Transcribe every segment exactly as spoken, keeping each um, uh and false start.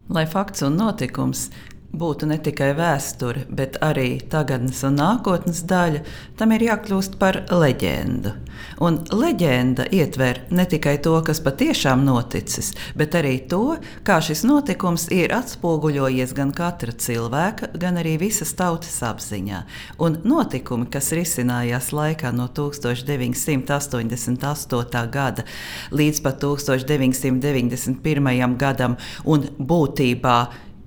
Lai fakts un notikums būtu ne tikai vēsture, bet arī tagadnes un nākotnes daļa, tam ir jākļūst par leģendu. Un leģenda ietver ne tikai to, kas patiešām noticis, bet arī to, kā šis notikums ir atspoguļojies gan katra cilvēka, gan arī visas tautas apziņā. Un notikumi, kas risinājās laikā no tūkstoš deviņsimt astoņdesmit astotā gada līdz pat tūkstoš deviņsimt deviņdesmit pirmajam gadam un būtībā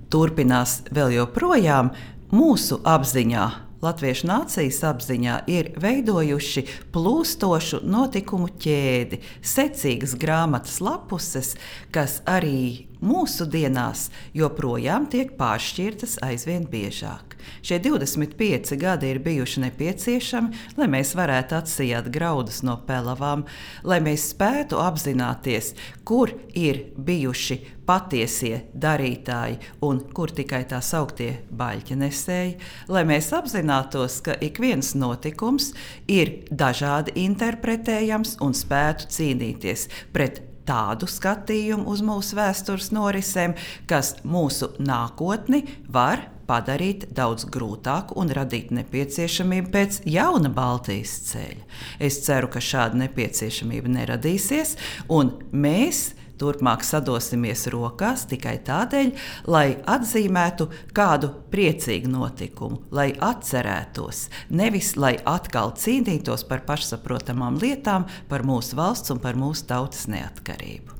turpinās vēl joprojām, mūsu apziņā, latviešu nācijas apziņā, ir veidojuši plūstošu notikumu ķēdi, secīgas grāmatas lapuses, kas arī mūsu dienās joprojām tiek pāršķirtas aizvien biežāk. Šie divdesmit pieci gadi ir bijuši nepieciešami, lai mēs varētu atsijāt graudus no pelavām, lai mēs spētu apzināties, kur ir bijuši patiesie darītāji un kur tikai tā sauktie baļķenesēji, lai mēs apzinātos, ka ik viens notikums ir dažādi interpretējams un spētu cīnīties pret tādu skatījumu uz mūsu vēstures norisēm, kas mūsu nākotni var padarīt daudz grūtāku un radīt nepieciešamību pēc jauna Baltijas ceļa. Es ceru, ka šāda nepieciešamība neradīsies, un mēs turpmāk sadosimies rokās tikai tādēļ, lai atzīmētu kādu priecīgu notikumu, lai atcerētos, nevis lai atkal cīnītos par pašsaprotamām lietām, par mūsu valsts un par mūsu tautas neatkarību.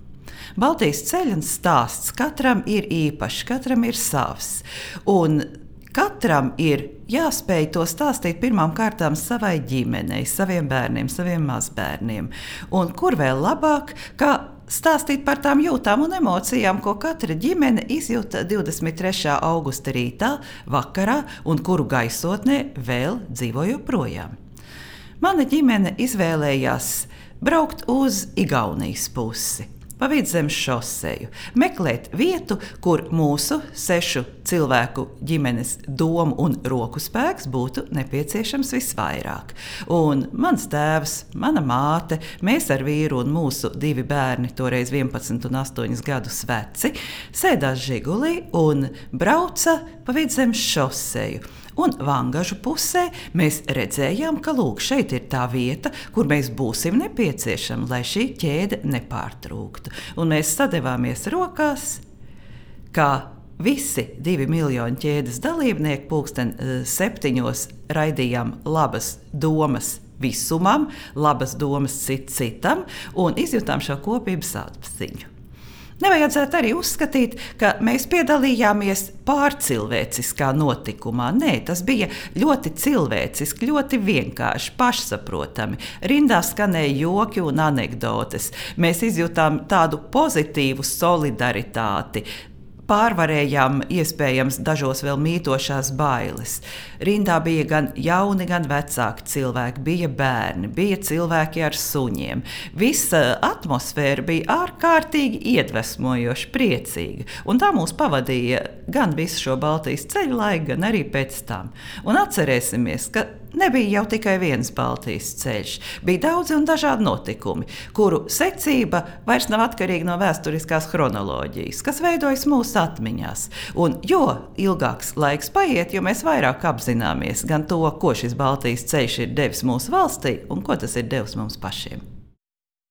Baltijas ceļa stāsts katram ir īpašs, katram ir savs, un katram ir jāspēj to stāstīt pirmām kārtām savai ģimenei, saviem bērniem, saviem mazbērniem, un kur vēl labāk, kā stāstīt par tām jūtām un emocijām, ko katra ģimene izjūta divdesmit trešā augusta rītā, vakarā, un kuru gaisotnē vēl dzīvo joprojām. Mana ģimene izvēlējās braukt uz Igaunijas pusi, pa Vidzemes šoseju, meklēt vietu, kur mūsu sešu cilvēku ģimenes domu un roku spēks būtu nepieciešams visvairāk. Un mans tēvs, mana māte, mēs ar vīru un mūsu divi bērni, toreiz vienpadsmit un astoņus gadus veci, sēdās Žigulī un brauca pa Vidzemes šoseju. Un Vangažu pusē mēs redzējām, ka lūk, šeit ir tā vieta, kur mēs būsim nepieciešami, lai šī ķēde nepārtrūktu. Un mēs sadevāmies rokās, kā visi divi miljoni ķēdes dalībnieki pulksten septiņos raidījām labas domas visumam, labas domas cit citam un izjutām šo kopības atziņu. Nevajadzētu arī uzskatīt, ka mēs piedalījāmies pārcilvēciskā notikumā. Nē, tas bija ļoti cilvēciski, ļoti vienkārši, pašsaprotami. Rindā skanēja joki un anekdotes. Mēs izjūtām tādu pozitīvu solidaritāti. Pārvarējām iespējams dažos vēl mītošās bailes. Rindā bija gan jauni, gan vecāki cilvēki, bija bērni, bija cilvēki ar suņiem. Visa atmosfēra bija ārkārtīgi iedvesmojoša, priecīga. Un tā mūs pavadīja gan visu šo Baltijas ceļu laiku, gan arī pēc tam. Un atcerēsimies, ka nebija jau tikai viens Baltijas ceļš. Bija daudzi un dažādi notikumi, kuru secība vairs nav atkarīga no vēsturiskās chronoloģijas, kas veidojas mūsu atmiņās. Un jo ilgāks laiks paiet, jo mēs vairāk apzināmies gan to, ko šis Baltijas ceļš ir devis mūsu valstī un ko tas ir devis mums pašiem.